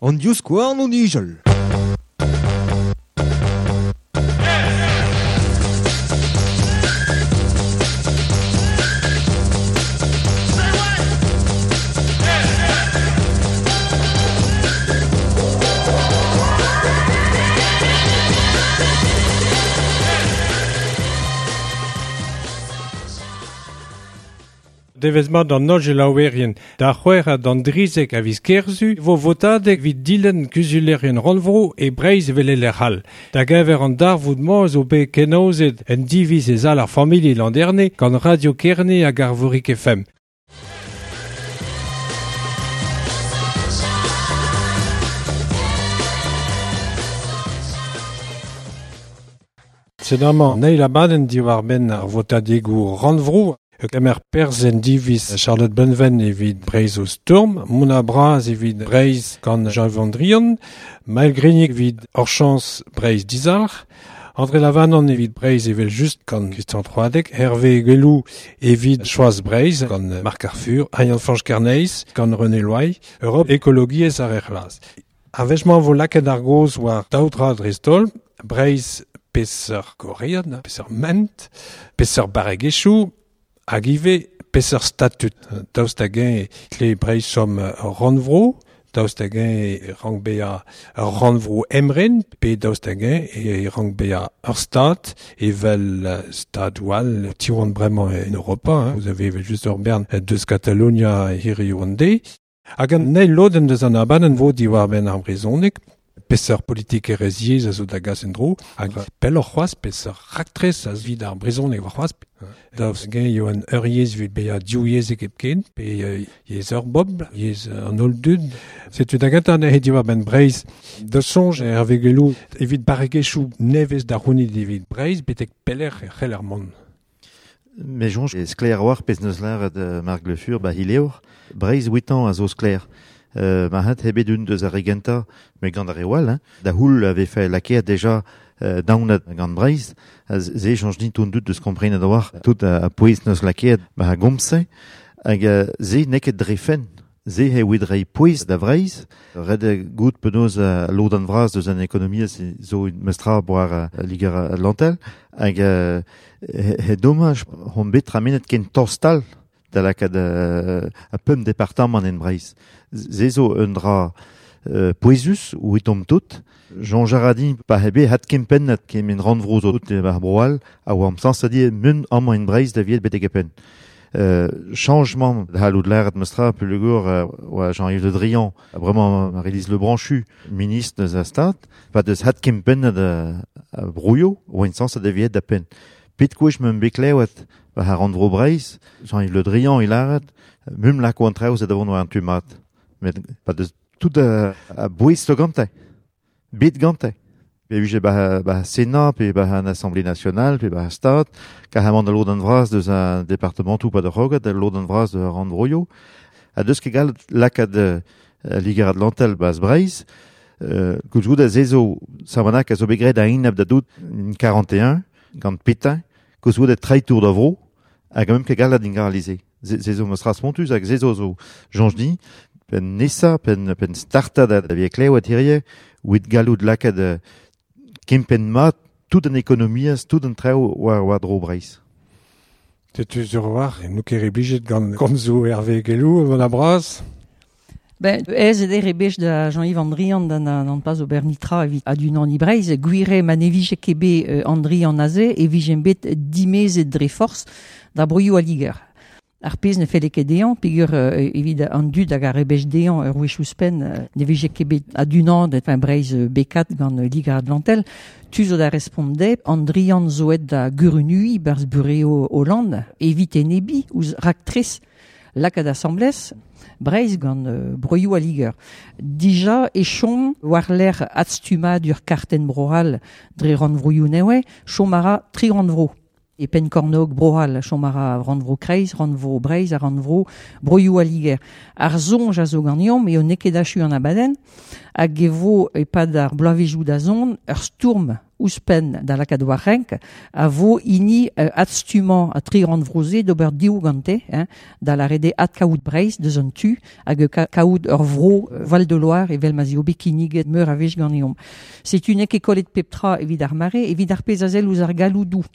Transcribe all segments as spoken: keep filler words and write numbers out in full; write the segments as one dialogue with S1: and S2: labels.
S1: An divskouarn o nijal.
S2: Devezh mat an holl gelaouerien da c'hwec'h d'an drizek a viz Kerzu vo votadeg evit dilenn kuzulerien rannvro e Breizh evel e lec'h all. Da geñver an darvoud-mañ zo bet kenaozet en diviz e sal ar familh Landerne gant Radio Kerne hag Arvorig F M. Sed amañ neil abadenn diwar-benn ar votadegoù rannvro. Kemer perzh en diviz Charlotte Bonven evit Breizh o stourm, Mona Braz evit Breizh gant Jean-Yves Drian, Maël Grignic evit Orchans Breizh dizalc'h, André Lavanon evit Breizh evel just gant Christian Troadec, Hervé Guellou evit Choaz Breizh gant Marc Arfur, Yann-Fañch Kerneis gant René Loy, Europe Écologiezh ar C'hlas. A-wech-mañ vo lakaet ar gaoz war daou dra dreist-holl, Breizh peseurt gorread, peseurt ment, peseurt barregezhioù, hag ivez peseurt statut. Daoust hag-eñ tle Breizh chom ur rannvro, daoust hag-eñ e rank bezañ ur rannvro emren, pe daoust hag-eñ e rank bezañ ur stad, evel stadoù all tiwan bremañ en Europa. Hein. Vous avez evel just ur bern deus Katalonia hiriv an deiz. Hag an eil lodenn deus an abadenn vo diwar-benn ar brezhoneg, peseurt politikerezh yezh a zo da gas en-dro, hag pelloc'h c'hoazh peseurt raktres a evit ar brezhoneg war c'hoazh. Daoust hag-eñ eo an ur yezh evit bezañ div yezhek hepken, pe yezh ur bobl, yezh an holl dud. Setu da gentañ anezhe diwar-benn Breizh. Da soñj Hervé Guellou evit barregezhioù nevez da c'hounit evit Breizh betek pelec'h e c'heller mont.
S3: Me soñj e sklaer a-walc'h pezh neus lâret Marc Le Fur ba Hileor. Breizh huit ans a zo sklaer. Euh, ma hat hebet un deus ar re gentañ, met gant ar re all, hein. Da houl avait fait lakaet déjà euh, daounat gant Breizh, a ze soñj din tout deus komprenet a-walc'h, tout a, a pouez neus lakaet ba a gomz-se, hag euh, ze n'eo ket dre fenn. Ze he oet rei pouez da Vreizh, ret eo gout penaos a lodenn vras deus an ekonomiezh zo mestra boar a Liger Atlantel, hag euh, he, he domaj hon bet tramenet ken torstal da lakaat euh, a pemp departamant en Breizh. Ze zo un dra euh, pouezus ou etomp tout. Jean Jaradin pa hebe hat kempennet kemen rannvro zo tout war broal a oa am sans a di mun amañ en Breizh da viet betek e penn. Euh, changement da halout lâret mestra peogwir euh, oa Jean-Yves Le Drian, bremañ Marylise Lebranchu, ministre deus a stad, pa deus hat kempennet a, a brouillo, oa en sans a da viet da penn. Pet gwech meum bet klevet war ar rannvro Breizh, Jean-Yves Le Drian il lâret, mum lako an traoù da vont war an tu mat. Met pa deus tout a, a bouez zo gante, bet gante. Pe vije ba, ba Sénat, pe ba an Assemblée nationale, pe ba Stad, carrément da lodenn vras deus an départementoù pa da roget, da lodenn vras de rannvroioù. A deus ket gallet lakaat euh, Liger Atlantel baz Breizh, euh, koulskoude a ze zo Samanak a zo bet graet a-enep da dout en quarante et un, gant Pétain, koulskoude treitour da vro, hag a mem ket gallet ingaralize. Ze, ze zo meus spontus hag ze zo zo soñj din, pen nesa, pen, pen starta da, da vie klevet hirie, oet gallout lakaat euh, kempenn mat tout an ekonomiezh, tout an traoù war, war dro Breizh.
S2: Setu sur war, nou ket reblijet gant komzoù Hervé Guellou, Mona Braz.
S4: Ben, ez eo rebech da Jean-Yves Andrian d'an an pas ober nitra evit adunan i Breizh, gwire ma ne vije ket bet euh, Andrian aze e vijen bet dimezet dre forz da broioù a Liger. Ar pezh ne felle ket dezhañ, peogwir euh, evit an dud hag ar rebech dezhañ ur wech ouzhpenn euh, ne vije ket bet adunan enfin Breizh euh, B quatre gant euh, Liger Atlantel, tu zo da respont dezhe, Andrian zo aet da gurunui barzh bureo Hollande, evit enebi ouzh raktres lakaat asamblez Breizh gant euh, broioù a Liger. Dija e chom war lec'h adstummadur kartenn broal dre rannvroioù newe, chom a ra tri rannvro. E penn-kornog broal, chom a ra rannvro Kreiz, rannvro Breizh ha rannvro broioù a Liger. Ar soñj a zo ganeomp eo n'eo ket achu an abadenn, hag e vo e-pad ar bloavezhioù da zont ur stourm ouzhpenn da lakaat war renk, a vo hini euh, adstummañ a tri rannvro-se d'ober div gante, hein, da lâret eo adkaout Breizh deus an tu, hag ka kaout ur vro euh, Val de Loire evel ma 'z eo bet kinniget meur a wech ganeomp. Setu n'eo ket kollet pep tra evit ar mare, evit ar pezh a sell ouzh ar galloudoù.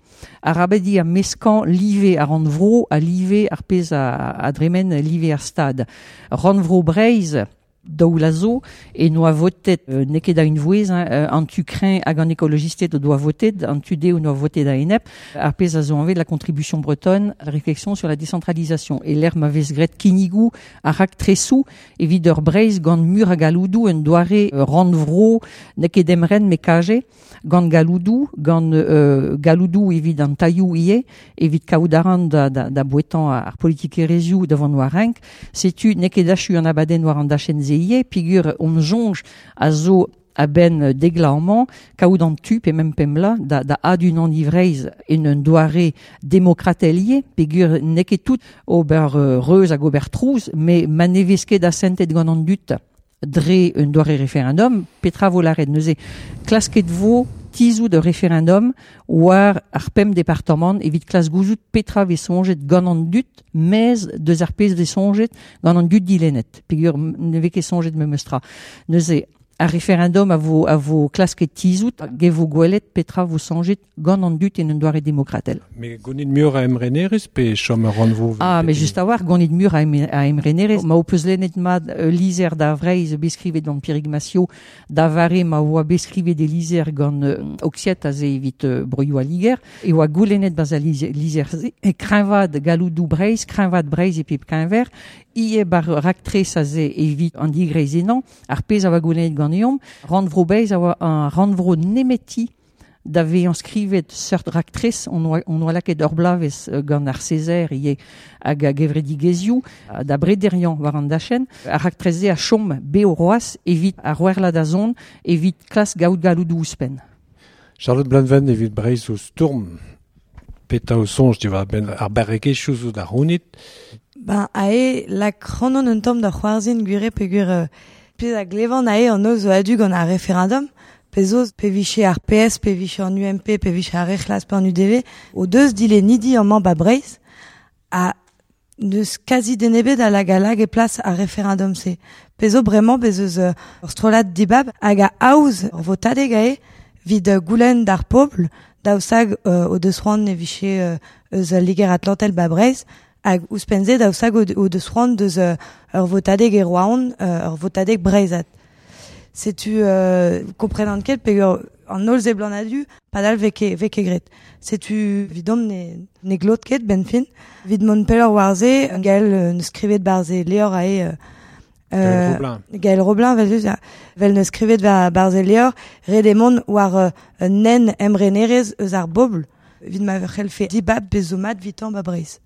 S4: Arabat eo meskañ live ar rannvro ha live ar pezh a, a dremen live ar stad. Rannvro Breizh, daou vloaz zo, e noa votet, euh, n'eo ket a unvouezh, hein, euh, an tu kreñv hag an ekologisted o doa votet, an tu dehoù noa votet a-enep, ar pezh a zo anvet la contribution bretonne, la réflexion sur la décentralisation. E lec'h ma vez graet kinnigoù ha raktresoù evit ur Breizh gant mur a galloudoù un doare euh, rannvro n'eo ket emren met kaje, gant galloudoù, gant euh, galloudoù evit an tailhoù ivez, evit kaout arc'hant da, da, da bouetañ ar politikerezhioù da vont war renk, setu n'eo ket achu an abadenn war an dachenn-se ivez, peogwir hon soñj a zo a-benn dek vloaz amañ, kaout an tu pe mem pemp vloaz da, da adunaniñ Breizh en un doare demokratel ivez, peogwir n'eo ket tout ober euh, reuz hag ober trouz, met ma ne vez ket asantet gant an dud dre un doare referendum, petra vo lâret neuze klasket vo tizhout ur referendum war ar pemp departamant evit klask gouzout petra vez soñjet gant an dud, maez deus ar pezh vez soñjet gant an dud dilennet, peogwir ne vez ket soñjet memes tra. Neuze ar referendum a vo, a vo klasket tizhout, hag e vo gwelet petra vo soñjet gant an dud en un doare demokratel.
S2: Met gonit muioc'h a emrenerezh pe chom ur rannvro
S4: Ah, mais just a-walc'h, gonit muioc'h a, em, a emrenerezh. Ma ho peus lennet mat euh, lizher da Vreizh bet skrivet gant Pierrick Massiot, da vare ma oa bet skrivet e lizher gant euh, Auxiette aze evit euh, broioù al Liger, e oa goulennet 'barzh al lizher-se, e kreñvaat galloudoù Breizh, kreñvaat Breizh e pep keñver, ivez bar raktres aze evit an digreizennañ, ar pezh a oa goulennet ganeomp, rannvro Breizh a oa un rannvro nemeti da vezañ skrivet seurt raktres, on oa, on oa lakaet ur bloavezh gant ar Césaire ivez hag a gevredigezhioù da brederiañ war an dachenn, ar raktres-se a chom bev c'hoazh evit ar c'hwec'h da zont, evit klask gaout galloudoù ouzhpenn.
S2: Charlotte Bleunven evit Breizh o stourm, petra ho soñj diwar-benn ar barregezhioù zo da c'hounit.
S5: Ben, ae lak ac'hanon un tamm da c'hoarzhin gwir eo peogwir euh, pezh a glevan ae an holl zo a-du gant ar referendum, pezh zo pe vije ar P S, pe vije an U M P, pe vije ar Re C'hlas pe an U D V, o deus dilennidi amañ ba Breizh, ha n'eus kazi den ebet a lag a lag e plas ar referendum-se. Pezh zo bremañ bez eus euh, ur strollad dibab hag a aoz ur votadeg ae vid euh, goulenn d'ar pobl daoust-hag euh, o deus c'hoant ne vije euh, eus al Liger Atlantel ba Breizh, hag ouzhpenn-se daoust-hag o, o deus c'hoant deus euh, ur votadeg e Roazhon, euh, ur votadeg breizhat. Setu euh, komprenan ket peogwir an holl seblant a-du, padal vez ket, vez ket graet. Setu evidomp ne, ne glot ket ben fin. Evit mont pelloc'h war-se, Gaël euh, neus skrivet 'barzh e levr ae, euh,
S2: Gaël Roblin.
S5: Gaël Roblin, vel just, vel neus skrivet war 'barzh e levr, ret eo mont war euh, un nen emrenerezh eus ar bobl, evit ma c'hellfe dibab pezh zo mat 'vitañ ba Breizh.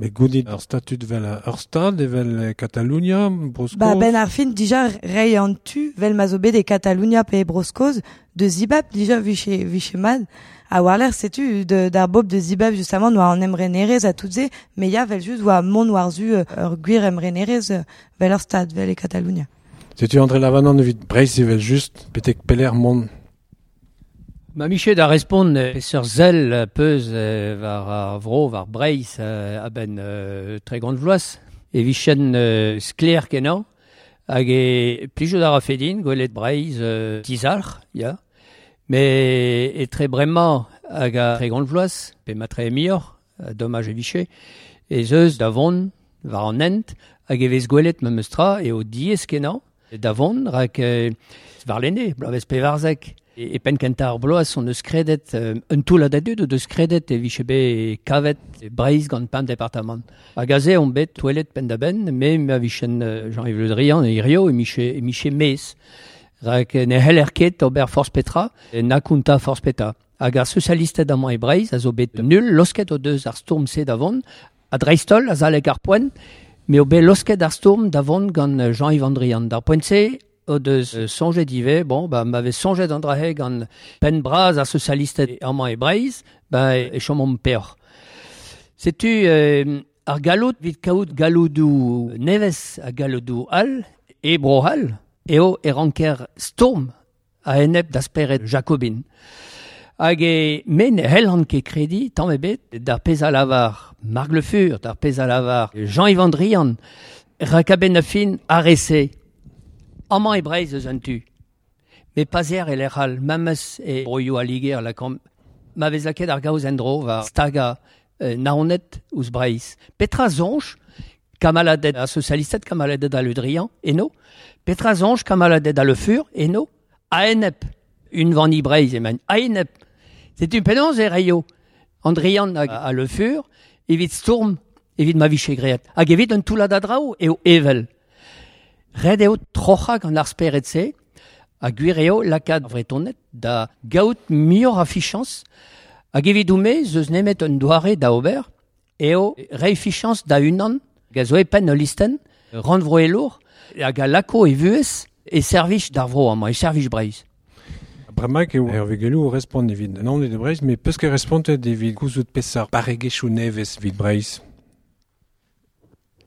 S2: Met gounit ur statud vel ur stad evel Katalonia, Bro-Skos.
S5: Ba ben ar fin dija reiñ an tu vel ma zo bet e Katalonia pe e Bro-Skos de zibab dija vije, vije mat. A war-lerc'h setu de, d'ar bobl de zibab justement noa an emrenerezh ha tout se, met ya vel just oa mont war-zu euh, ur gwir emrenerezh euh, vel ur stad vel e Katalonia.
S2: Setu André Lavanant evit Breizh evel just, betek pelec'h mont.
S6: Ma Michel da respont euh, peseurt sell euh, peus euh, war ar vro, war Breizh euh, a-benn euh, tregont vloaz, e vichen euh, sklaer kenañ, hag e plijout a rafe din gwelet Breizh euh, dizalc'h, ya. Met etre bremañ hag a tregont vloaz, pe matre muioc'h, domaj e vije, ez eus da vont war an hent, hag e vez gwelet memes tra eo diaes kenañ da vont, rak euh, warlene, bloavezh pevarzek. E, e penn kentañ ar bloaz on eus kredet, euh, un toullad a dud o deus kredet e vije bet kavet Breizh gant pemp departamant. Hag aze on bet touellet penn-da-benn, me ma vichen euh, Jean-Yves Le Drian e hirio e miche, e miche mez. Rak ne c'heller ket ober forzh petra, na kontañ forzh petra. Hag ar sozialisted amañ e Breizh a zo bet nul, losket o deus ar stourm-se da vont, a dreist-holl, azalek ar poent, me o bet losket ar stourm da vont gant Jean-Yves An Drian. D'ar poent-se, o deus euh, soñjet ivez, bon, ba, m'avait soñjet an dra-se gant penn bras ar sozialisted amañ e Breizh, ba, e chomomp peoc'h. Setu euh, ar galloud evit kaout galloudoù nevez ha galloudoù all, e Bro-C'hall, eo e ranker stourm a-enep da spered Jacobin. Hag e men hellan ket kredi, tamm ebet, d'ar pezh a lavar Marc Le Fur, d'ar pezh a lavar Jean-Yves An Drian, rak a-benn ar fin ar re-se. Amañ e Breizh eus an tu. Me pazer e lec'h all, memes e broioù a Liger la kamp, ma vez lakaet ar gaoz en-dro war staga euh, Naoned ouzh Breizh. Petra soñj kamaladed a socialisted, kamaladed a Le Drian, eno. Petra soñj kamaladed a Le Fur, eno. A-enep, unvani Breizh emaint. A-enep. Setu penaos e reio An Drian hag a Le Fur, evit stourm, evit ma vije graet. Hag evit un toullad a draoù eo evel. Ret eo troc'hañ gant ar spered-se, ha gwir eo lakaat ar Vretoned da gaout muioc'h a fichañs, hag evidon-me ez eus nemet un doare da ober, eo reiñ fichañs da unan, hag a zo e penn ul listenn, rannvroelour, hag a lako e vuhez e servij d'ar vro amañ, e servij Breizh.
S2: Bremaik eo Hervé Guellou o respont evit Naoned e Breizh, met peus ket respontet evit gouzout peseurt barregezhioù nevez evit Breizh.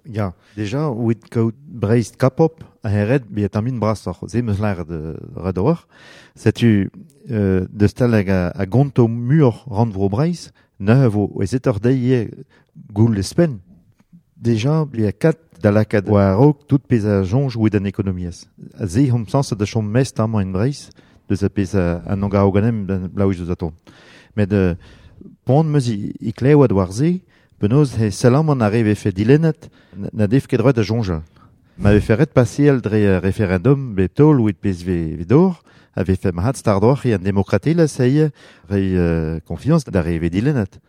S3: Ya, deja, evit kaout Breizh kapop, a ret bezañ tamm brasoc'h, se 'm eus lâret ret ober. Setu euh, deus tal a, a gonto muioc'h rannvro Breizh, neuze vo aezetoc'h dezhi ivez goul espenn. Deja, bezañ kat da lakaat war-raok tout pezh a soñj evit an ekonomiezh. A se omp sañset da chom mest amañ en Breizh, deus a pezh an angao ganem blaouiz deus a tont. Met euh, poan 'm eus i, i klevet war se, penaos he sellamant ar re vefe dilennet na def ket droit da soñjal. Ma vefe ret paseal dre referendum bep taol evit pezh ve, ve dor, a vefe mat stardoc'h e an demokratelezh eo re euh, konfiañs d'ar re ve dilennet.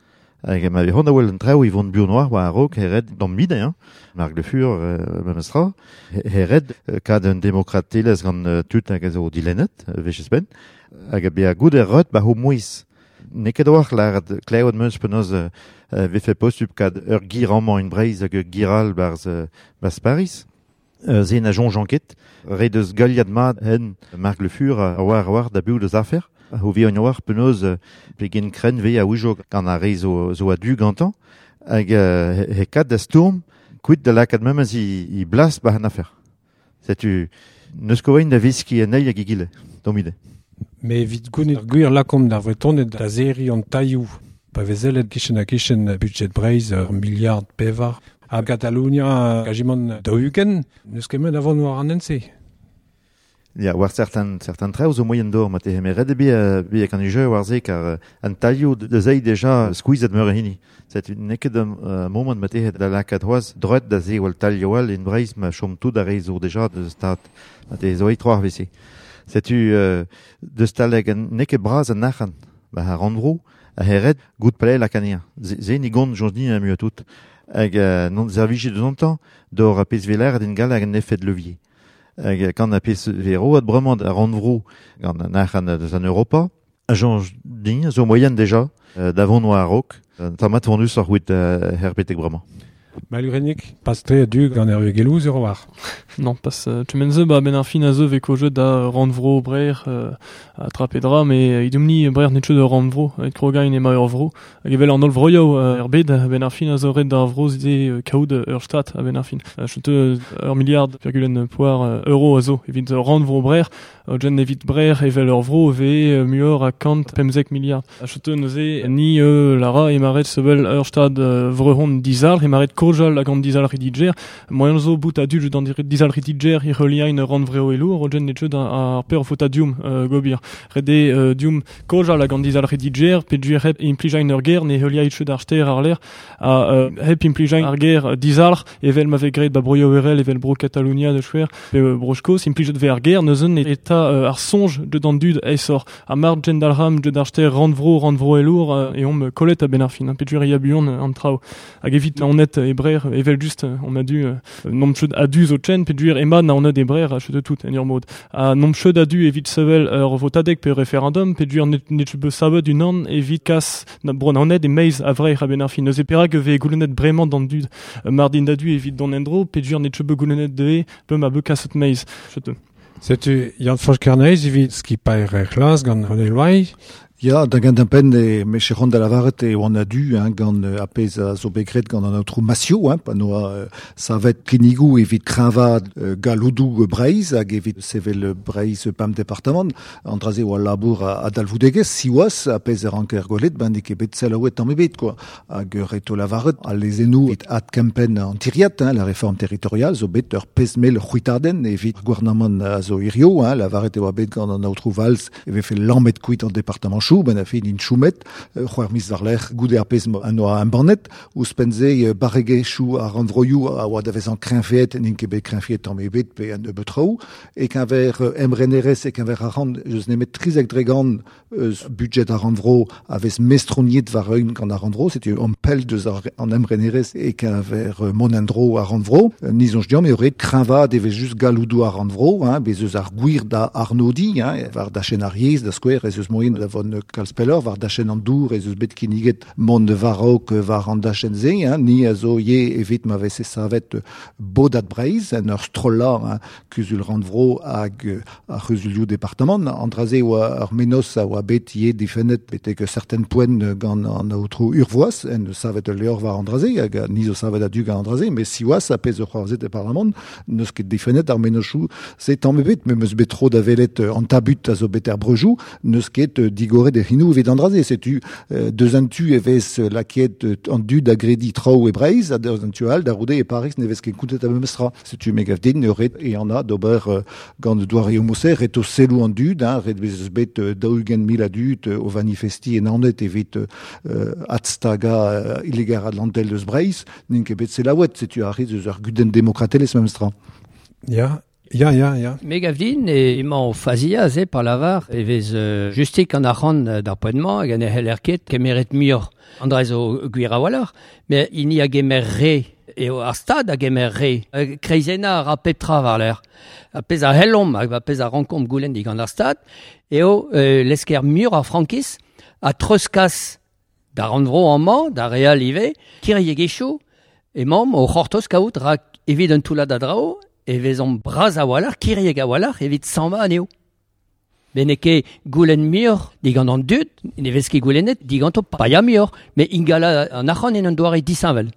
S3: Hag ma vez c'hoant da wel an traoù e vont buan war war a-raok he ret d'an mide, hein. Marc Le Fur, euh, memes tra, he ret kad un demokratelezh gant euh, tud hag a zo dilennet, wech espenn, hag a bezañ gout er reut ba ho mouezh. N'eo ket a-walc'h lâret klevet 'm eus penaos euh, vefe posupl kad ur gir amañ en Breizh hag ur gir all barzh, barzh Paris. Euh, se na soñjan ket. Re deus galiad mat hen Marc Le Fur a war war da biv deus afer. Ho vi an oar penaos pegen krenn ve a ouijo gant ar re zo, zo a-du gantañ hag euh, he kat da stourm kuit da lakaat memes i, i blas ba an afer. Setu neus ket da veskiñ anezhi hag egile, d'am ide.
S2: Mais evit gounit ar gwir lakomp d'ar Vretoned da serriñ an tailhoù. Pa vez sellet kichen ha kichen budget Breizh ur miliard pevar. Ha Katalonia kajimant daou-ugent, n'eus ket met a vont war an hent-se.
S3: Ya, war certain, certain traoù zo moien d'or, ma te ret eo bet bet kan jeu war se kar an tailhoù da zeiz deja skuizhet meur a hini. Setu n'eo ket un uh, moment ma te da lakaat c'hoazh droet da se wal tailhoù all en Breizh ma chom tout ar re zo deja deus stad. Ma te zo e troar vese. Setu euh, deus taleg n'eo ket bras an arc'hant ba ar rannvro a ret gout palais la kania. Se ni gont joñs din muiañ tout. Hag euh, non servijet deus an tañ d'or a pezh veler din gall hag an effet levier. Hag kan a pezh vero ad bremañ ar rannvro gant an arc'hant deus an Europa. A joñs din zo moien deja euh, d'avont war a-raok. Tamm mat vont ar c'hwit euh, herbetek bremañ.
S2: Malgrenik, pas tre a-du gant Hervé Guellou sur war.
S7: Non, pas euh, tu menze ba ben ar fin a zo veko jeu da rannvro brer euh, a trapedra, mais idumni brer net de rannvro, et krogain ema ur vro. Hag evel an holl vroioù er bed, ben ar fin a zo ret d'ar vro ze kaout ur stat a ben ar fin. Chete ur milliard virgulen poar euro a zo, evit rannvro brer, jen evit brer evel ur vro ve muioc'h a kant pemzek milliard. Chete neuze ni euh, lara emaret sevel ur stad vrehon dizalc'h, emaret kojal hag an dizalc'h diger, moyen zo bout a dud d'an dizalc'h diger e reliain rannvreo elour, ogen net ar per fota dium euh, gobir. Rede euh, dium kojal hag an dizalc'h diger, pe duer hep implijain ur ger ne heuliañ ched ar ster ar l'air, a euh, hep implijain ar ger dizalc'h evel ma vez graet ba broioù erel evel bro Catalunya de chwer, pe euh, bro Skos, implijet ve ar ger neuzen eta euh, ar soñj de d'an dud aesor. A mar gendalc'ham deud ar ster rannvro rannvro elour euh, e omp kollet a ben ar fin, pe duer ya buan an traoù. Hag evit naonet e brer evel just on a du euh, nom ched adu zo chen pe duer ema naonet e brer a ched tout en ur mod. A nom ched adu evit sevel ur votadeg pe referendum pe duer net net be savet unan evit kas na bro naonet e meiz a vreir a ben ar fin. Neuze perak ve goulennet bremañ d'an dud mardin da du evit don endro pe duer net be goulennet de pe ma be kaset meiz. Ched.
S2: Setu Yann-Fañch Kerneis evit skipailh re c'hlas gant René Loai,
S8: Ya, da gant an penn e me chechon da lavaret e oan a du, hein, gant a pez a zo begret gant an aotrou Massio, hein, pa noa euh, savet kinigou evit kreñvaat euh, galoudou Breiz hag evit sevel Breiz pam departement, an draze oa labour a, a dalvoudegez, siwaz a pez e ranker golet, ben ket bet selaouet tamm ebet, quoi. Hag reto lavaret, a lezennou evit ad kempen an tiriat, hein, la réforme territoriale, zo bet ur pezmel c'hwitadenn evit gouarnamant a zo hirio, hein, lavaret e oa bet gant an aotrou Valls e vefe lammet kuit an departement chou, ben a fin in choumet, c'hoar mis war lec'h goude ar pez an oa an bannet, ouzhpenn-se barregezhioù ar rannvroioù a oa da vezañ kreñveet, n'int ket bet kreñveet tamm ebet pe an nebeut traoù, e keñver emrenerez e keñver ar rand, eus nemet trizek dregant eus budget ar rannvro a vez mestroniet war eun gant ar rannvro, setu an pell deus ar, an emrenerez e keñver mont-en-dro ar rannvro, nizonj diom eo ret kreñvaat e vez just galoudou ar rannvro, hein, bez eus ar gwir da arnodi, hein, war da chen ar yezh, da skouer, ez eus moyen da vont kalz pellor, war da chen an dour, ez eus bet kinniget mont varok war an dachen ze, hein, ni a zo ye evit ma vese savet bodat Breiz, en ur strolla, hein, kuzul rannvro hag ar c'huzulioù departement, an draze oa ur menos a oa bet ye difennet betek certain poent gant an aotrou urvoaz, en savet ul levr war an draze, hag ni zo savet a du gant an draze, mais siwazh a pezh ur c'hoarzhet e parlamant, n'eus ket difennet ar menochoù se tamm ebet, me meus bet tro da welet an tabut a zo bet er brejou, n'eus ket digoret e c'hinou evit an draze, setu deus an tu e vez laket an dud a gredi traoù e Breiz, ha deus an tu all da roude e Paris ne vez ket kontet a memestra. Setu me gav din ret e an a d'ober gant doare homoser, ret o selou an dud, hein, ret vez eus bet daou-ugent mil a dud o vanifesti en anet evit euh, adstaga euh, illegar Atlantel deus Breiz, n'int ket bet selaouet, setu ar eus ur gudenn demokratelezh memestra.
S2: Ya, Ya, ya, ya.
S6: Me gav din e emañ o fazia ze par lavar e vez euh, justik an arc'hant d'ar poent-mañ hag an e c'heller ket kemeret muioc'h. An dra zo gwir a-walc'h, mais hini a gemer re eo ar stad a gemer re. Kreizenna a ra pep tra war l'er. A pez a hellomp hag a pez a rankomp goulenn digant ar stad eo euh, lesker muioc'h ar frankiz a treuzkas da rannvro amañ, da real ivez, kiriegezhioù emañ o c'hortoz kaout rak evit un toullad a draoù e vezomp bras a-walc'h, kirieg a-walc'h, evit sammañ anezho. Ben n'eo ket goulenn muioc'h digant an dud, ne vez ket goulennet diganto paia muioc'h, met ingala an arc'hant en un doare disheñvel.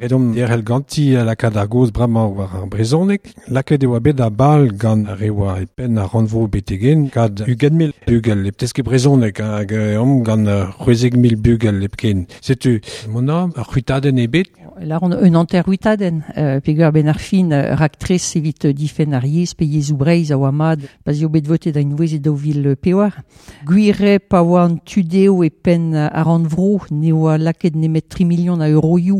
S2: Edom derel ganti lakaat ar goz bremañ war ar brezhoneg, lakaet e oa bet a bal gant ar re oa e penn ar rannvro betegen, kad ugent mil bugel, e teske brezhoneg, hag omp gant c'hwezek mil bugel hepken. Setu, mona, ar c'hwitadenn ebet.
S4: Lar on un hanter c'hwitadenn, euh, peogwir ben ar fin raktres evit difenn ar yezh pe yezhoù Breizh a oa mat, pa eo bet votet da unvouezh e daou vil pevar. Gwir eo pa oa an tudeo e penn ar rannvro ne oa lakaet nemet tri million a euroioù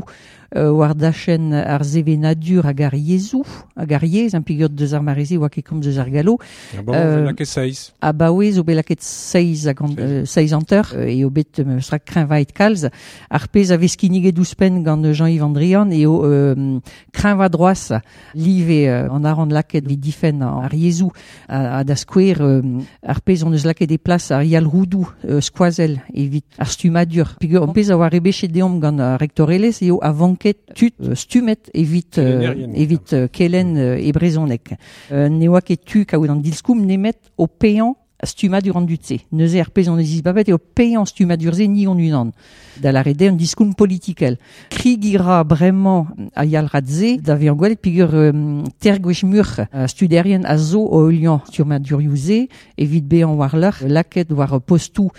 S4: euh, war dachenn ar sevenadur hag ar yezhoù, hag ar yezh, an peogwir deus ar mareze oa ket komz deus ar gallo.
S2: Ah bon, euh, lakaet seizh.
S4: Abaoe zo bet lakaet seizh hag an, euh, seizh hanter, eo bet meustra kreñvaet kalz. Ar pezh a vez kinniget ouzhpenn gant Jean-Yves An Drian eo euh, kreñva droaz live euh, an arc'hant lakaet evit difenn ar yezhoù a, a da skouer euh, ar pezh on eus lakaet e plas ar yalc'houdoù euh, skoazell evit ar stummadur. Peogwir ar pezh a oa rebechet deomp gant ar rektorelezh eo a vanket tud stummet evit euh, evit euh, kelenn euh, e brezhoneg. Euh, ne oa ket tu kaout an dilskoum nemet o paeañ stummadur an dud-se. Neuze ar pezh on eus izbabet eo paeañ stummadur-se ni hon unan. Da lâret eo un diskoulm politikel. Krigi ra bremañ a yalc'had-se da vezañ gwelet peogwir euh, ter gwech muc'h uh, studerien a zo o heuliañ stummadurioù-se evit bezañ war-lerc'h lakaet war postoù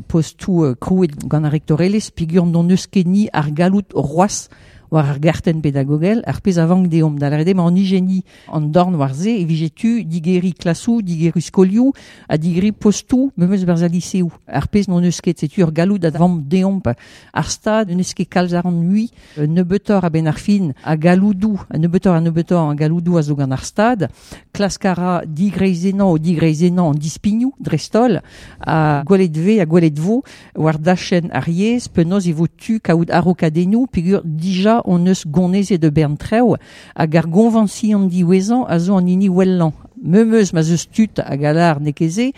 S4: postoù euh, krouet gant ar rektorelezh peogwir n'hon eus ket ni ar galloud c'hoazh war ar gartenn pedagogel, ar pezh a vank deomp. Da lâret eo ma an ijeni an dorn war se e vije tu digeriñ klasoù, digeriñ skolioù, ha digeriñ postoù memes barzh al liseoù. Ar pezh n'hon eus ket, setu ur galloud a vank deomp. Ar stad n'eus ket kalz ar an mui, nebeutoc'h a-benn ar fin, a galloudoù, nebeutoc'h ha nebeutoc'h a galloudoù a zo gant ar stad, klask a ra digreizennañ o digreizennañ an dispignoù, dreist-holl, ha gwelet vez ha gwelet vo war dachenn ar yezh, penaos e vo tu kaout a-raokadennoù, peogwir dija on eus gonezet de bern trev hag ar goñvañsion diwezhañ a zo an hini wellañ. Memeus ma zeus tud hag alar n'eo ket se,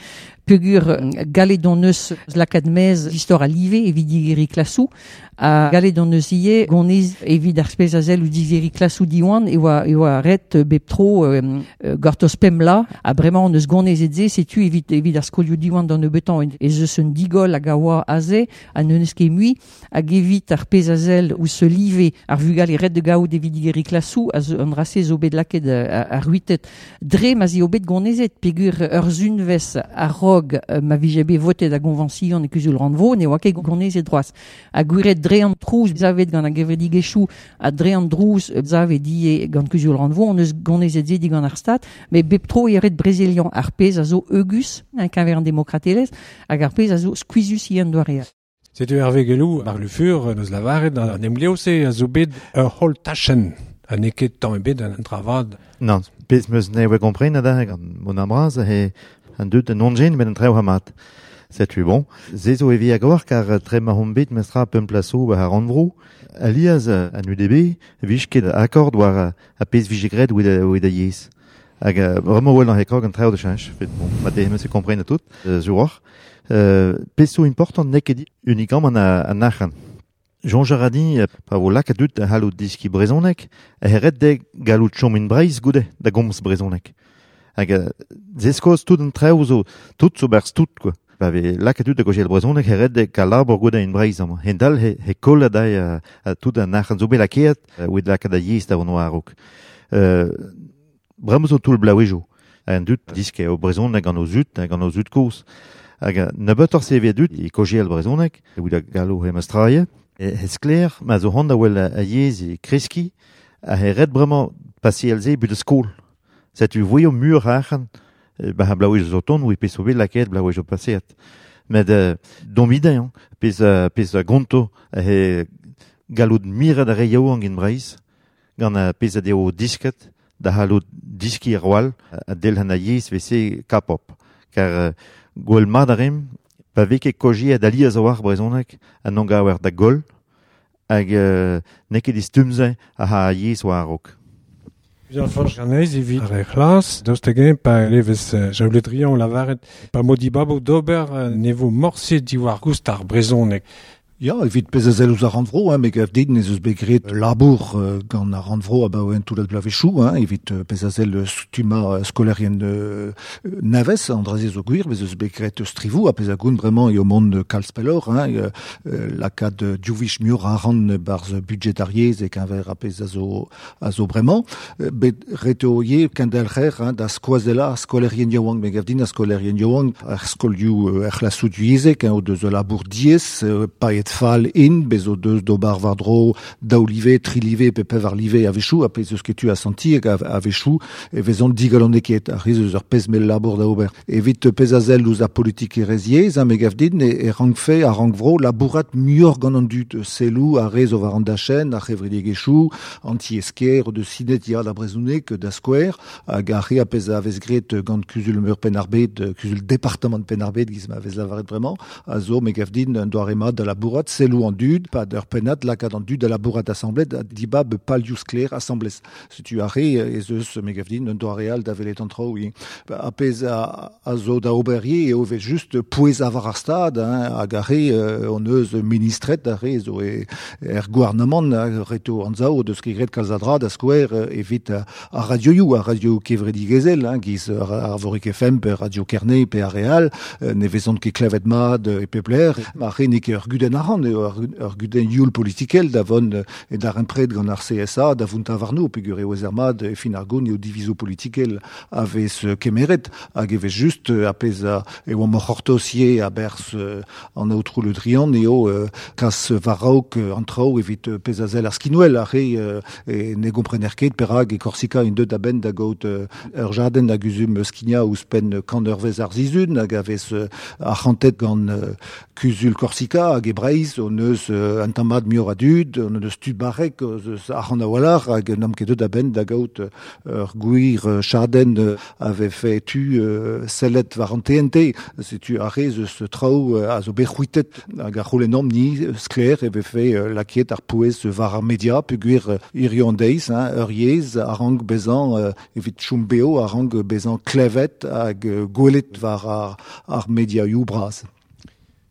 S4: peogwir gallet hon eus lakaat maez istor a live evit digeriñ klasoù, ha gallet hon eus ivez gonez evit ar spezh a sell ou digeriñ klasoù Diwan e oa, e oa ret bep tro euh, gortoz pemp la, ha bremañ hon eus gonezet se, setu evit, evit ar skolioù Diwan d'an nebeutañ ez eus un digoll hag a oa aze, ha n'eus ket mui, hag evit ar pezh a sell ouzh se live ar vugale ret de gaout evit digeriñ klasoù, a zo, an dra-se zo bet lakaet ar c'hwitet dre ma eo bet gonezet, peogwir ur sunvezh a-raok ma vije bet votet a goñvañsion e kuzul rannvro, ne oa ket gonezet droaz. Ha gwiret dre an trouz zavet gant ar gevredigezhioù ha dre an drouz zavet ivez gant kuzul rannvro, on eus gonezet se digant ar stad, met bep tro eo ret brezeliañ ar pezh a zo heugus en keñver an demokratelezh hag ar pezh a zo skuizhus ivez an doare.
S2: Setu Hervé Guellou, Marc Le Fur, neus lavaret an emglev-se a zo bet ur holl tachenn. Ha n'eo ket tamm ebet an travad.
S3: Non, pezh meus ne oa kompren adarre gant mon ambraz he an deut an onjen met an trev hamat. Setu bon. Se zo evi agor kar tre ma hon bet mestra pemp plaso war ar rannvro. Alias an U D B vij ket akord war a pezh vije graet oet a yezh. Hag vraiment wel an hekrog an trev de cheñch. Fet bon, ma te meus kompren a tout, zuroch. Euh, pezh zo important n'eo ket uniquement an an arc'hant. Jean Jaradi, pa vo lakaat dut a c'hallout diski brezhoneg, a ret de gallout chom in Breizh goude da gomz brezhoneg. Hag zeskoz tout an trev zo, tout zo berz tout, quoi. Pa vez lakaat dut da gojel brezhoneg, he ret de kalabor goude in Breizh amañ. Hendal he, he koll a dai a, a tout an arc'hant zo bet lakaet, oet lakaat a yezh da vont war-raok. Euh, bremañ zo toull blaouejo. An dut diske o brezhoneg gant o zud, gant o zud kozh. Hag nebeutoc'h se evit dut e kojel brezhoneg, evit a gallo he mestraie. E he sklaer, ma zo c'hoant da wel a yezh e kreski, a he ret bremañ paseal se but skol. Setu voio mur arc'hant, ba ha blaouej zo ton, oui pezh zo bet lakaet blaouej zo paseat. Met euh, domide, hein, pezh, pezh gonto, he gallout miret ar re yaouank in Breizh, gant a pezh a deo disket, da c'hallout diski ar wall, a delhan a yezh vese kapop. Kar gwell mat a rim, pa vez ket kojiet alies a war brezhoneg, an an gawer da goll, hag euh, n'eo ket istumze a ha yezh war a-raok.
S2: Jean-François Janez evit ar c'hlas, daoust hag-eñ pa levez Jaolet Drian lavaret, pa modibabo d'ober ne vo morse diwar goust ar brezhoneg.
S8: Ya, evit pez a zel ouz ar rannvro, hein, me gav din ez eus bet graet labour euh, gant ar rannvro abaoe un toullad bloavezhioù, hein, evit euh, pez a zel stumma euh, skolerien euh, navez, an draze zo gwir, bez eus bet graet strivou, ha pez a goun bremañ eo mont kalz pellor, hein, euh, lakaat diou wech muioc'h a arc'hant barz budget ar yezh e keñver a pez a zo, a zo bremañ, bet ret eo ivez kendelc'her, hein, da skoazella ar skolerien yaouank, me gav din ar skolerien yaouank, ar skolioù er c'hlasoù divyezhek, hein, o deus labour diaes, paeet fall in, bez o deus d'ober war-dro daou live, tri live pe pevar live a-wechoù, ha pez eus ket tu a senti hag a-wechoù e vezont digalonekaet, ar riz eus ur pezh mell labour da ober. Evit pez a sell ouzh ar politikerezh yezh, hein, me gav din e, e rankfe ar rannvro labourat muioc'h gant an dud, selloù ar re zo war an dachenn, ar c'hevredigezhioù, an tiez-kêr, o deus sinet ya da brezhoneg, da skouer, hag ar re a pezh a vez graet gant kuzul meur Penn-ar-Bed, kuzul departamant Penn-ar-Bed, giz ma vez lavaret bremañ, a zo me gav din un doare mat da labourat selloù an dud, pad ur pennad lakaat an dud da labourat asambles, ha dibab palioù sklaer asambles. Setu ar re ez eus me gav din un doare all da welet an traoù. A pezh a, a zo da ober ivez eo evel just pouezañ war ar stad, hein, hag ar re euh, on eus ministred ar re zo e, er gouarnamant ret eo anzav o deus ket graet kalz a dra da skouer evit ar radioioù, ar radio kevredigezhel, hein, giz ar Arvorig F M pe Radio Kerne pe ar re all, ne vezont ket klevet mat e pep lec'h, ar re n'eo ket ur gudenn arc'hant, eo ur gudenn youl politikel da vont e darempred gant ar C S A, da vountañ warno, peogwir eo ez ar mat e fin ar goun eo divizoù politikel a vez kemeret, hag e vez just a pezh a e oamp oc'h c'hortoz ivez a-berzh an aotrou Le Drian eo kas war-raok an traoù evit pezh a sell ar skinwel, ar re e ne gomprener ket perak e Korsika int deut a-benn da gaout ur jadenn hag uzum skignañ ouzhpenn kant eurvezh ar sizhun, hag a vez arc'hantet gant kuzul Korsika hag e Breizh, on eus un tamm mat muioc'h a dud, on eus tud barrek eus arc'hant a-walc'h hag n'am ket deut a-benn da gaout ur gwir chadenn a vefe tu sellet war an T N T. Setu ar re eus traoù a zo bet c'hwitet hag ar c'houlennomp ni sklaer e vefe lakaet ar pouez war ar media peogwir hiziv an deiz, hein, ur yezh a rank bezañ evit chom beo, a rank bezañ klevet hag gwelet war ar, ar mediaioù bras.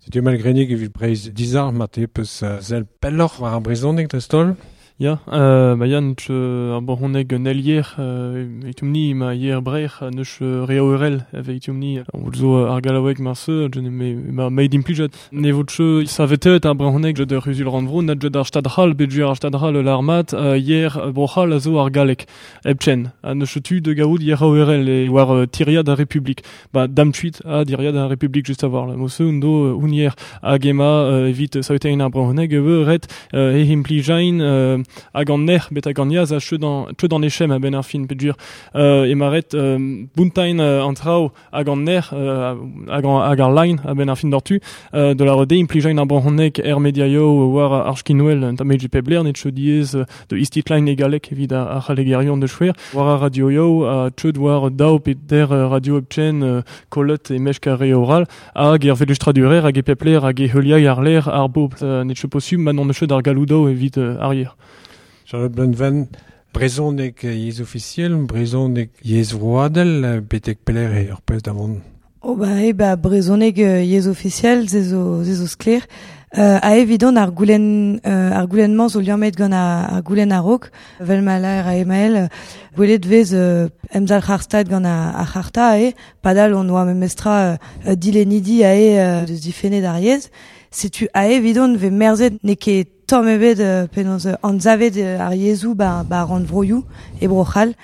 S2: Setu Mael Grenig evit Breizh dizalc'h ma te peus sell pelloc'h war ar brezhoneg dreist-holl?
S7: Ya, euh, ba ya, neus ar brezhoneg un elier, euh, evitomp-ni ma yer breir, neus re aorel evitomp-ni, zo ar gallaoueg marse, je ne me ma meid implijat. Ne vo tche savetet ar brezhoneg jed ur c'huzul rannvro, na jed ar stad c'hall, bet ar stad c'hall l'armat, euh, yer bro-c'hall a zo ar gallek, hepchen, ha neus tu de gaout yer aorel e war uh, tiriad ar Republik. Ba damtuit a diriad ar Republik just a war la mosse un do un yer hag ema euh, evit savetein ar brezhoneg e ret euh, e implijain euh, hag an ner bet hag an yaz a cheud an, cheud an echem a ben ar fin pedur euh, e maret euh, buntain euh, an traoù hag an ner euh, hag, an, hag ar line a ben ar fin d'ortu euh, de la rede implijain ar brezhoneg er mediaio war ar skinwel un tamm pebler net cheud diez de istitline e galek evit ar, ar c'hallegerion de chouer war ar radioio a cheud war daou pe der radio epchen euh, kolot e mech kare oral hag er velustradurer hag e pepler hag e heuliag ar ler ar bobl euh, net cheud posum ma non cheud ar galoudo evit euh, arrière.
S2: Charlotte Bleunven, brezhoneg yezh ofisiel, brezhoneg yezh vroadel, betek pelec'h eo ur pezh da vont?
S5: Oh ba e ba brezhoneg yezh ofisiel, se zo, se zo sklaer. Euh, a evidon ar goulenn euh, ar goulenn-mañ zo liammet gant ar, ar goulenn a-raok, vel ma laer a Emael, gwelet vez euh, emzalc'h ar stad gant ar, ar c'harta e, padal on oa memestra euh, dilennidi a e euh, deus difennet ar yezh. Setu a evidon ve merzet n'eo ket tamm ebet euh, penaos anzavet ar yezhoù ba, ba rannvroioù e Bro-C'hall.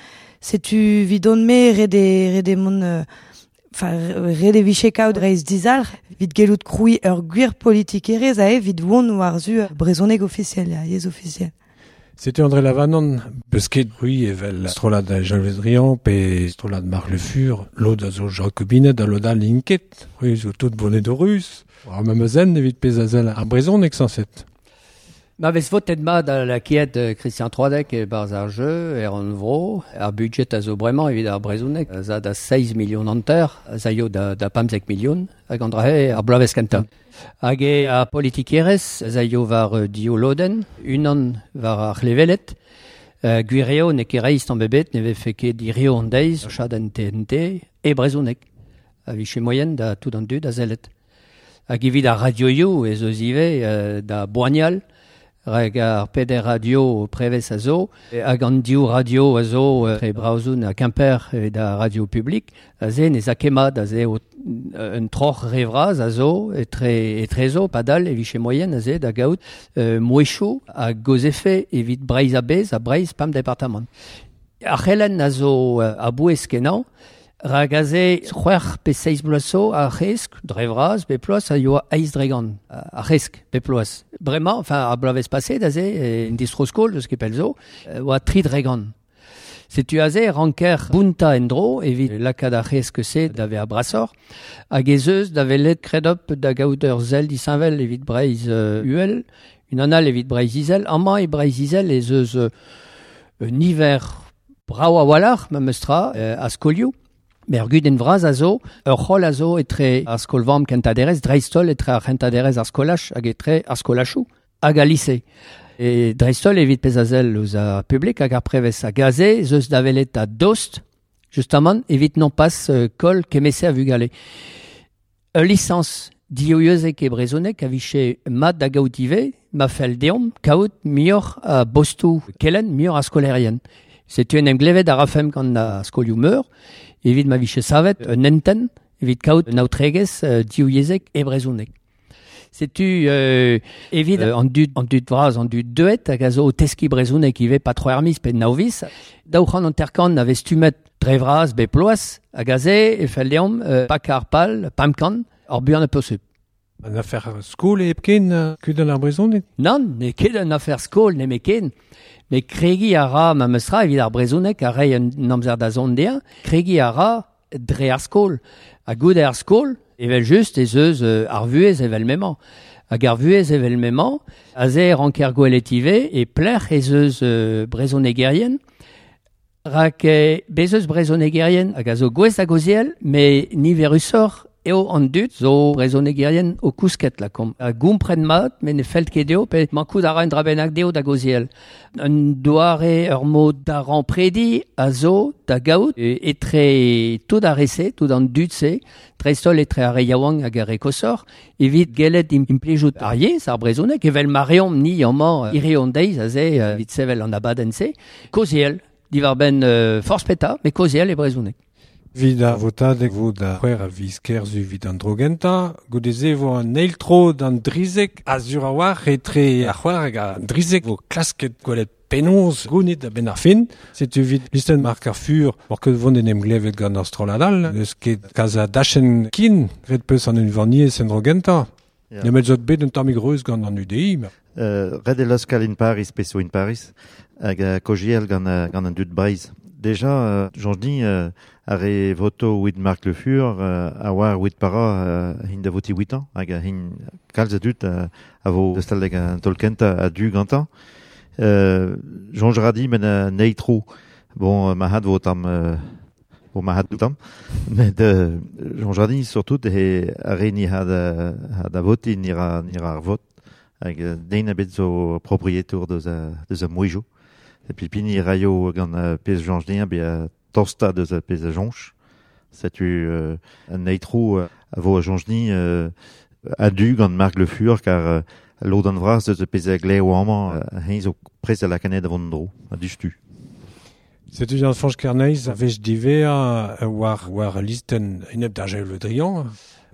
S5: Setu vidon me ret e, ret e mont euh, Enfin, ret e vije kaout Breizh dizalc'h, evit gellout krouiñ ur gwir politikerezh a evit vont war-zu brezhoneg ofisiel, ya, yezh ofisiel.
S2: Setu André Lavanant, peus ket c'hwi evel strollad Jean-Louis Drian pe strollad Marc Le Fur, lod a zo Jacobinet ha lod all int ket, c'hwi zo tout bonnet rus. Ar memes zen evit pezh a sell ar brezhoneg sañset.
S6: Ma vez votet mat a lakaet Christian Troadec e barzh ar jeu, er an vro, ar budget a zo bremañ evit ar brezhoneg, za da seizh million hanter, zaio da, da pemzek million, hag an drahe ar bloavezh kentañ. Hag e ar politikerezh, zaio war div lodenn, unan war ar c'hlevelet, uh, gwir eo n'eo ket reizh tamm ebet, ne vefe ket hirio an deiz, chadenn T N T, e brezhoneg, a vije moien da tout an dud a sellet. Hag evit ar radioioù ez eus ivez euh, da boanial, rag ar peder radio prevez a zo, hag an div radio a zo tre Braozoun ha Quimper evit ar radio publik, a ze ne a kemat a ze o, un troc'h revraz a zo etre, etre zo, padal e viche moyen a ze da gaout euh, mouecho a gozefe evit Breizh a bez a Breizh pam departamant. Ar c'helen a zo a bouez kenañ, Rag aze c'hwec'h pe seiz bloaz zo ar c'hesk, dre vras, be ploaz, a yoa eiz dregan, ar c'hesk, be ploaz. Bremañ, enfin, ar bloavezh paset aze, en distro-skol, deus ket pell zo, oa tri dregan. Setu aze ranker bunta en-dro, evit lakaat ar c'hesk se da ve ar brasor, hag ez eus da velet kredop da gaout ur zel disheñvel evit Breizh euh, uhel, un anal evit Breizh izel, amañ e Breizh izel ez eus euh, un hiver brao a-walc'h, ma meus tra, euh, a skolioù. Mer gudenn vras a zo, ur c'holl a zo etre ar skol-vamm kentañ-derez, dreist-holl etre ar c'hentañ-derez ar skolaj hag etre ar skolachoù hag al lise. E dreist-holl evit pezh a sell eus ar publik hag ar prevez hag aze ez eus da welet a dost, justamant, evit non pas euh, koll kemese a vugale. Ul lisañs divyezhek e brezhoneg a vije mat da gaout ivez, ma fell deomp kaout muioc'h a bostoù kelenn, muioc'h a skolaerien. Setu en em glevet a rafemp gant ar skolioù meur, evit ma vije savet un hentenn, evit kaout un aotregezh euh, divyezhek e brezhoneg. Setu euh, evit euh, an dud, an dud vras, an dud deuet, hag a zo o teskiñ brezhoneg ivez pa tro ar miz pe nav viz. Daou c'hant hanter-kant a vez stummet dre vras bep bloaz, hag aze e fell deomp euh, pak ar pal, pemp kant, ar buan a posubl.
S2: An afer skol e hepken kudenn ar brezhoneg?
S6: Nann, n'eo ket un afer skol nemetken. Met kregiñ a ra ma meus tra evit ar brezhoneg a reiñ un amzer da zont dezhañ, kregiñ a ra dre ar skol. Ha goude ar skol, evel just ez eus euh, ar vuhez evel m'emañ. Hag ar vuhez evel m'emañ, aze ranker gwelet ivez e pelec'h ez eus euh, brezhonegerien, rak eh, bez eus brezhonegerien hag a zo gouest da gaozeal, met niverusoc'h eo an dud zo brezhonegerien o kousket lakaomp. A gompren mat, met ne fell ket dezho, pe mankout a ra un dra bennak dezho da gaozeal. Un doare ur mod da remprediñ a zo da gaout e, etre tout ar re-se, tout an dud-se, dreist-holl etre ar re yaouank hag ar re koshoc'h, evit gellet implijout ar yezh, ar brezhoneg, evel ma reomp ni amañ hiriv an deiz aze evit sevel an abadenn-se, kaozeal, diwar-benn euh, forzh petra, met kaozeal e brezhoneg.
S2: Evit ar votadeg vo da c'hwec'h a viz Kerzu evit an dro gentañ, goude-se vo an eil tro d'an drizek a sur a-walc'h etre ar c'hwec'h hag an drizek vo klasket gwelet penaos gounit a-benn ar fin. Setu evit listenn Marc ar Fur, war ket vont en em glevet gant ar strollad all, n'eus ket kalz a dachenn kin, ret peus an unvaniezh en dro gentañ.
S3: Ya.
S2: Nemet zot bet un tammig reuz gant an U D I. Ma.
S3: Euh, ret e laskal in Paris, peso in Paris, hag uh, kojiel gant, uh, gant an dud Breizh. Déjà, euh, Jean-Denis, euh, ar re voto wit Marc Le Fur, euh, a oar wit para euh, hin da voti huit ans, hag hin kalz a dud euh, a vo deus tal an taol kentañ a du gantañ. Euh, Jean Jaradi men a neitro. Bon, ma had vo tam, euh, bon, ma had tam. Met euh, Jean Jaradi surtout he ar re ni had, had a voti ni ra, ni ra ar vot. Hag den a bet zo proprietour deus a, deus a mouejo. Et puis pini raio gant uh, pez Jean Jaradi be a tosta deus a pez a jonch. Setu euh, an neitro euh, a vo a Jean Jaradi euh, a du gant Marc Le Fur kar euh, lod an vras deus a pez a gleo amañ euh, hein zo prez a lakanet a vont dro, a dustu.
S2: Setu Jean-Franch Kerneis a vech divea war, war listen enep da Gilles Le Drian.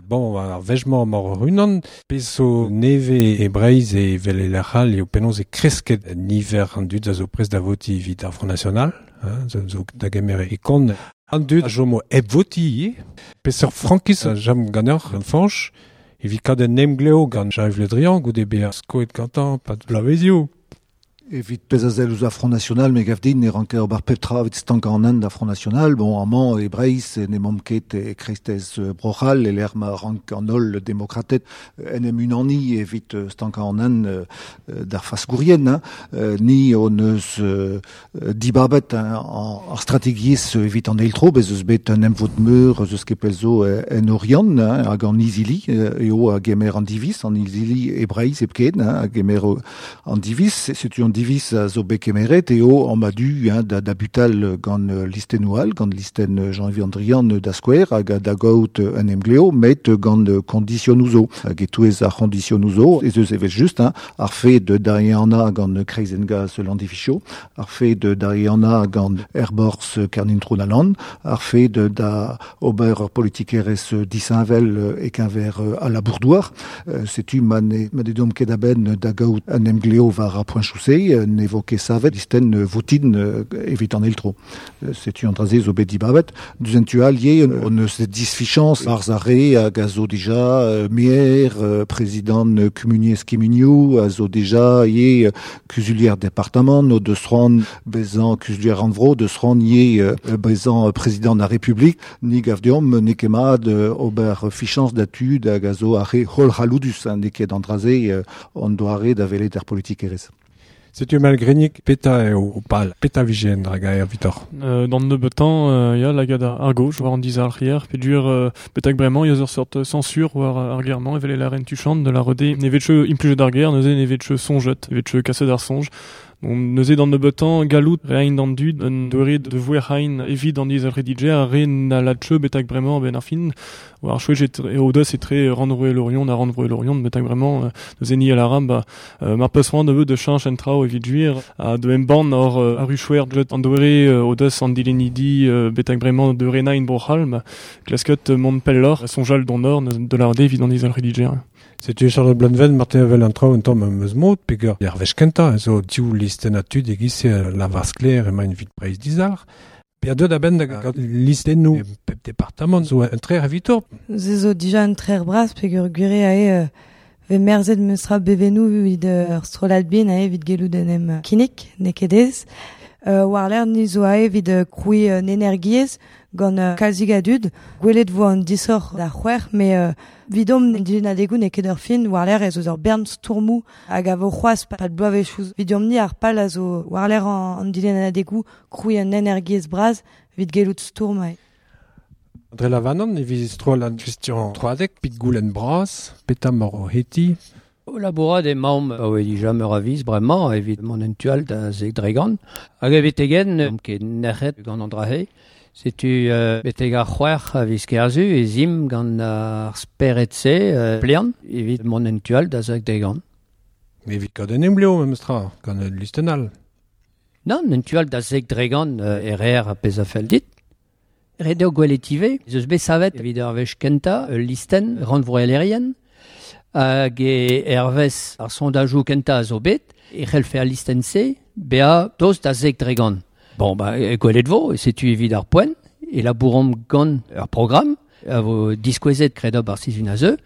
S2: Bon, ar vech-mañ mor unan, pezh zo neve e Breizh e vel e lec'h all eo penaos e kresket niver an dud a zo prest da voti evit ar Front National, hein, zo, zo da gemer e kont. An dud a chomo hep voti ivez. Peseurt frankiz a jam ganeoc'h, an Fañch, evit kad en emgleo gant Jean-Yves Le Drian, goude bezañ skoet gantañ, pad bloavezioù.
S8: Evit pezh a sell ouzh ar Front National, me gav din ne ranker ober pep tra evit stankañ an hent d'ar Front National. Bon, amañ e Breizh ne emaomp ket e kreisteiz Bro-C'hall, e lec'h ma rank an holl demokrated en em unaniñ evit stankañ an hent d'ar faskourien, hein. Ni hon eus dibabet ar strategiezh evit an eil tro, bez eus bet un emvod meur eus eus ket pell zo en Oriant, hein, hag an izili, eo a gemer an diviz, an izili e Breizh hepken, hein, a gemer an diviz, setu an divis a zo bet kemeret eo an madu hein, da, da butal gant listennou all, gant listen Jean-Yves Andrian da skouer hag da gaout un emgleo, met gant konditionou zo. Hag etouez ar konditionou zo, ez eus evel just, hein, ar fe de dariana gant Kreizengas Landificho, ar fe de dariana gant Airborz Kernin-Trounaland, ar fe de da ober ur politikerez disheñvel e keñver a la bourdouar. Setu ma ne, ma ne dom ket a-benn da gaout an emgleo war ar poenchou-se, ne vo ket savet listen votin evit an eltro. Setu an draze zo bet dibabet. Duzen tu al ye, on eus disfichans ar zare hag a zo dija maire, prezident kumuniez kemunioù, a zo dija ye kuzulier departement, no deus c'hoant bezañ kuzulier rannvro, deus c'hoant ye bezañ prezident ar Republik, ni gav deomp ne ket mat ober fichans da tud hag a zo ar re hol c'halloudus, ne ket an draze an doare da welet ar politikerez.
S2: Setu malgrenik peta eo o pal, peta vijen drag aer vitor.
S7: Euh, dans nebetan, euh, ya lagad ar gauche, war an dizal rier, pedur euh, betak bremañ, ya ur sort censure war ar germañ, evel la reine tuchante de la rede, ne vetche impluje d'ar ger, neuze ne vetche sonjet, vetche kaset ar sonj. Bon, neuze d'an nebetan, galout rein d'an dud, un doare de vouer rein evit an dizal redidje, ar re na latche betak bremañ ben ar fin, war chouet e odeus e tre rannvro Lorion, a rannvro Lorion, betak bremañ, neuze ni a la ram, ba, euh, mar peus c'hoant nebeut de chanch en trao evit juir, a de embann or euh, ar ruchouer jet an doare euh, odeus an dilenidi euh, betak bremañ de rena in brochal, ma klasket mont pellor, sonjal d'an or, de la rede evit an dizal redidje.
S2: Setu Charlotte Blanven, Martin Avel an trao un tamm am eus mod, peger ar wech kentañ, zo div listen a tud egiz la varskler emañ evit Breizh dizalc'h. Per deud a-benn da gant listennoù pep departamant zo un trer evitor.
S5: Ze zo dija un trer bras peger gwire ae euh, ve merzet meustra bevenou evit ur strollad bin ae evit gellout en em kinnig, n'eo ket ez. Euh, war l'air ni zo ae evit euh, kroui euh, energiez gant euh, kalzig a dud. Gwelet vo an disoc'h da c'hwec'h, mais euh, vidom din adegoù n'eo ket ur fin, war l'air ez eus ur bern stourmoù hag a vo c'hoazh pad bloavezhioù. Vidom ni ar pal a zo war l'air an, an dilen adegoù kroui un energiez bras evit gellout stourm ae.
S2: André Lavanon, evit strollad Christian Troadec, pit goulenn bras, peta mor o heti.
S6: O labourad emaomp a oe dija meur a viz bremañ evit mont en tual da zeg dregan. Hag evit egen, am ket nec'het gant an drahe. Setu euh, beteg ar c'hwec'h a viz kerzu e zim gant ar speret-se euh, plean evit mont en tual da zeg dregan.
S2: Evit gant en emgleo, memes tra, gant un listenal.
S6: Non, en tual da zeg dregan euh, errer a pez a fell dit. Ret eo gwelet ivez, ez eus bet savet evit ar wech kentañ ul listen rannvroelerien, hag e hervez ar sondajoù kentañ a zo bet, e c'hellfe al listen-se bezañ tost da zeg dregan. Bon, ba, e gwelet vo, e setu evit ar poent, e labouromp gant ur programm, a vo diskouezet kredob ar sizhun a zeu,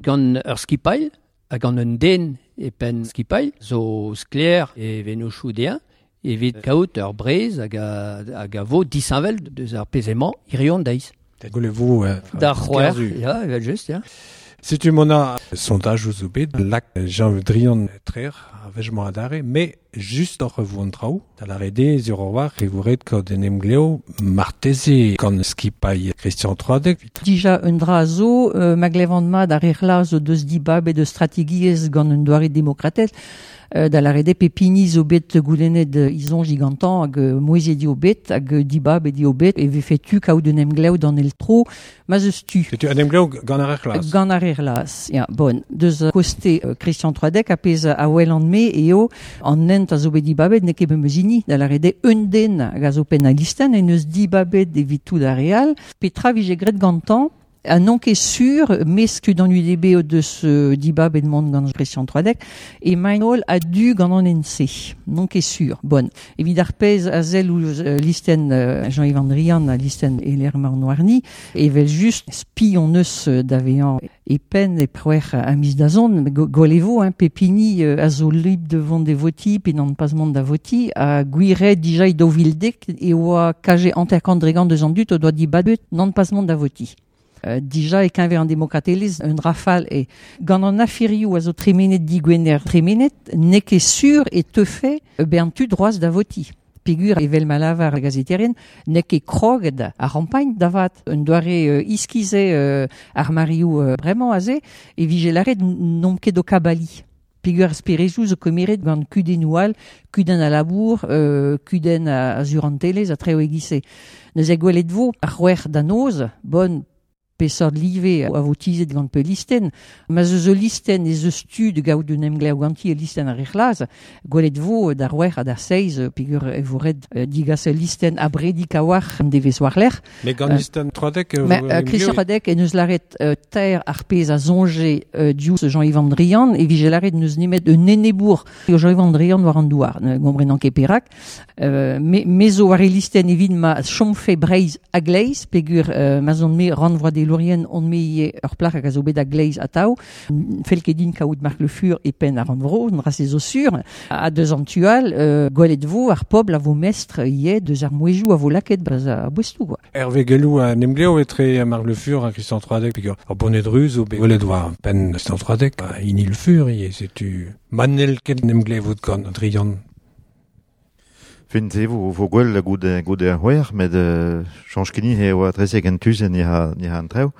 S6: gant ur skipailh, hag gant un den e penn skipailh, zo sklaer e venochoù dezhañ, evit kaout ur brez hag a, hag a vo disheñvel deus ar pezh-emañ hiriv an deiz.
S2: Gwelet vo euh,
S6: D'ar c'hwec'h, ya, evel just, ya.
S2: Setu mona sondaj zo bet, lak Jean Drian trer, a vejmañ adare, mais just oc'h vo an traoù, da la rede zur war e vo ret kaout en emgleo marteze gant skipailh Christian Troadec.
S4: Dija un dra zo, euh, ma glevant mat ar erla zo deus dibab e deus strategiez gant un doare demokratel, euh, da la rede pepini zo bet goulennet izon gigantan hag mouezet di o bet, hag dibab e di o bet, e vefe tu kaout un emglev d'an el tro, ma zeus tu.
S2: Setu un emglev gant ar erlaz.
S4: Gant ar erlaz, ya, bon. Deus koste euh, Christian Troadec a pez a wel an me eo an ent a zo bet dibabet n'eo ket meus hini, da la rede un den hag a zo penn a listen, en eus dibabet evit tout ar real, petra vije gret gantan, a non ket sur, mes tud an U D B o deus euh, dibabet mont gant Christian Troadec, e maen a du gant an N C. Non ket sur. Bon. Evit ar pez a zel ou euh, listen euh, Jean-Yves Andrian a listen Eler Marnoarni, evel just spi on eus d'avean e pen e preuer a mis da zon, go, golevo, hein, pepini euh, a zo lib de vont de voti, pe n'an pas mont da voti, a gwire dija i dovildek e oa kaje anterkant dregan deus an dut o doa dibabet n'an pas mont da voti. Euh, dija e keñver an demokratelezh un rafal e gant an aferioù a zo tremenet digwener tremenet n'eo ket sur e teufe bezañ tu droaz da voti. Pegur evel ma lavar ar gazeterien n'eo ket kroget ar campagne davat un doare euh, iskize euh, ar marioù euh, bremañ aze e vije laret n'omp ket o kabali. Pegur sperejou zo komeret gant kudennoù all, kudenn a labour, euh, kudenn a, a zurantelez a treo egise. Neuze gwelet vo ar c'hwec'h da noz, bon pesort live a vo tizet gant pe listen, ma zeus ul listen ez eus tu de gaout un emglev ganti e listen ar rec'hlaz, gwelet vo d'ar c'hwec'h ha d'ar seiz, pegur e vo ret digas ul listen a bredik a war an devez war lec'h.
S2: Mais gant euh, listen Troadec...
S4: Mais, euh, Christian Troadec en eus laret euh, ter ar pez a zonje euh, diouz Jean-Yves An Drian, e vije laret neus nemet un enebour Jean-Yves An Drian war an douar, gombrenan ket perak. Euh, me, me zo war e listen evit ma chomfe Breizh a gleiz, pegur euh, ma zon me rannvroad Lourien on me ur plac'h hag a zo bet a gleiz atav, fel ket din kaout Marc Le Fur e penn ar rannvro, an ra se zo sur, a deus an tual, euh, gwelet vo ar pobl a vo mestr ie deus ar mouejou a vo laket braz a boestou, quoi.
S2: Hervé Guellou a nemgleo etre Marc Le Fur a Christian Troadec, pegur ar bonnet ruz o bet gwelet war penn Christian Troadec, a hini Le Fur ie, setu manel ket nemglevout gant Drian.
S3: Fin se vo, vo gwell goude, goude ar c'hwec'h, met euh, chanj keni he oa trezek an tuzen ni ha, ni ha an trev.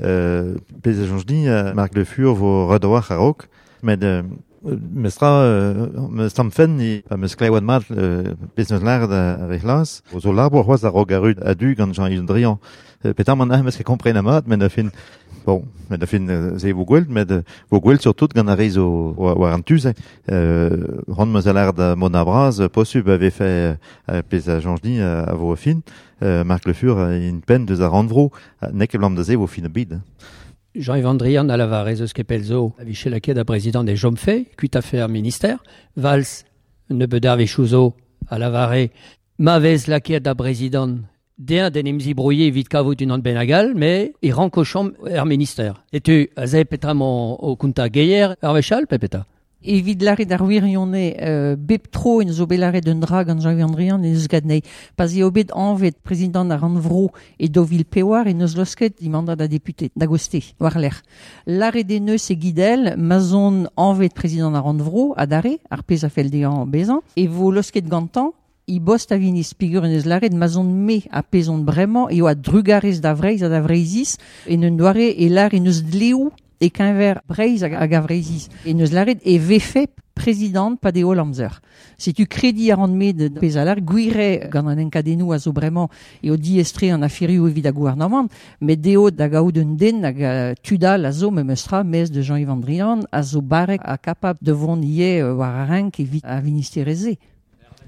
S3: Euh, pezh a chanj ni, euh, Marc Le Fur vo redoar a-raok, met euh, mestra, euh, meus tamm fenn ni, pa meus klevet mat euh, pezh neus lâret ar rec'hlas, zo labour c'hoazh a-raok ar a du gant Jean-Yves Drian. Euh, petamant ah meus ket kompren a mat, met a fin, bon, met a fin se vo gwell, met vo gwell surtout gant ar re zo war an tuze. Euh, ran meus a lâret da mont a braz, posub avait fait euh, pezh a chanj ni a vo a fin, euh, Marc Le Fur in penn deus ar rannvro, nek e blam da se vo fin a bid.
S6: Jean-Yves An Drian a lavar ez eus ket zo a viche laket a prezident des Jomfe, kuit a fer ministère, Valls ne bedar vechouzo a lavare ma vez laket da prezident den den emzi brouillé evit kavout unan benagal, mais e rankochom er ministère. Et tu, a ze petra mon o kunta geier ar vechal, pepeta?
S4: Evit laret ar wirionne euh, bep tro en zo bet laret un dra gant Jean-Yves An Drian en eus gadnei. Pa'z eo bet anvet prezident ar rannvro e dovil pewar en eus losket imanda da député, da goste, war lec'h. Laret en eus e gidel, ma zon anvet prezident ar rannvro, adare, ar pezh a fell dezhañ bezañ, e vo losket gantañ, i bost a vinis pigur en eus laret ma zon me a pezon bremañ eo a drugarez da Vreiz ha da Vreizis, en un doare e lar en eus dleoù e keñver Breizh hag a Vreizis. E neus laret e vefe prezident pa deo amzer. Setu kredi a ran me de pezh a lar, gwire gant an enkadennoù a zo bremañ eo diestre an aferioù evit a gouarnamant, met deo da gaout un den hag uh, tudal a zo memes tra mez de Jean-Yves An Drian a zo barrek a kapab de vont ie uh, war ar renk evit a ministereze.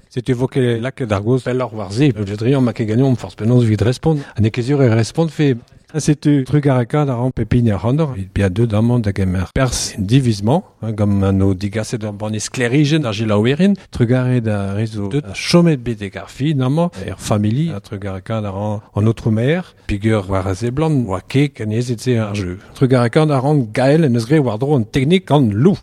S2: C'est évoqué laket ar goz pelloc'h war ze, Le Drian ma ket gagnon force penaos evit respond, an ekezur e respond fe. Setu trugareka da ran pepin ar randor, evit bia deut amañ da gemer pers divisement, hein, gant an o digaset ur banne sklerijen ar gelaouerin, trugare da rezo deut a chomet betek ar fin amañ, er famili, a trugareka da ran an autre mer, pigur war a zeblant, oa ket an ezet se ar jeu. Trugareka da ran gael en eus gre war dro an teknik an lou.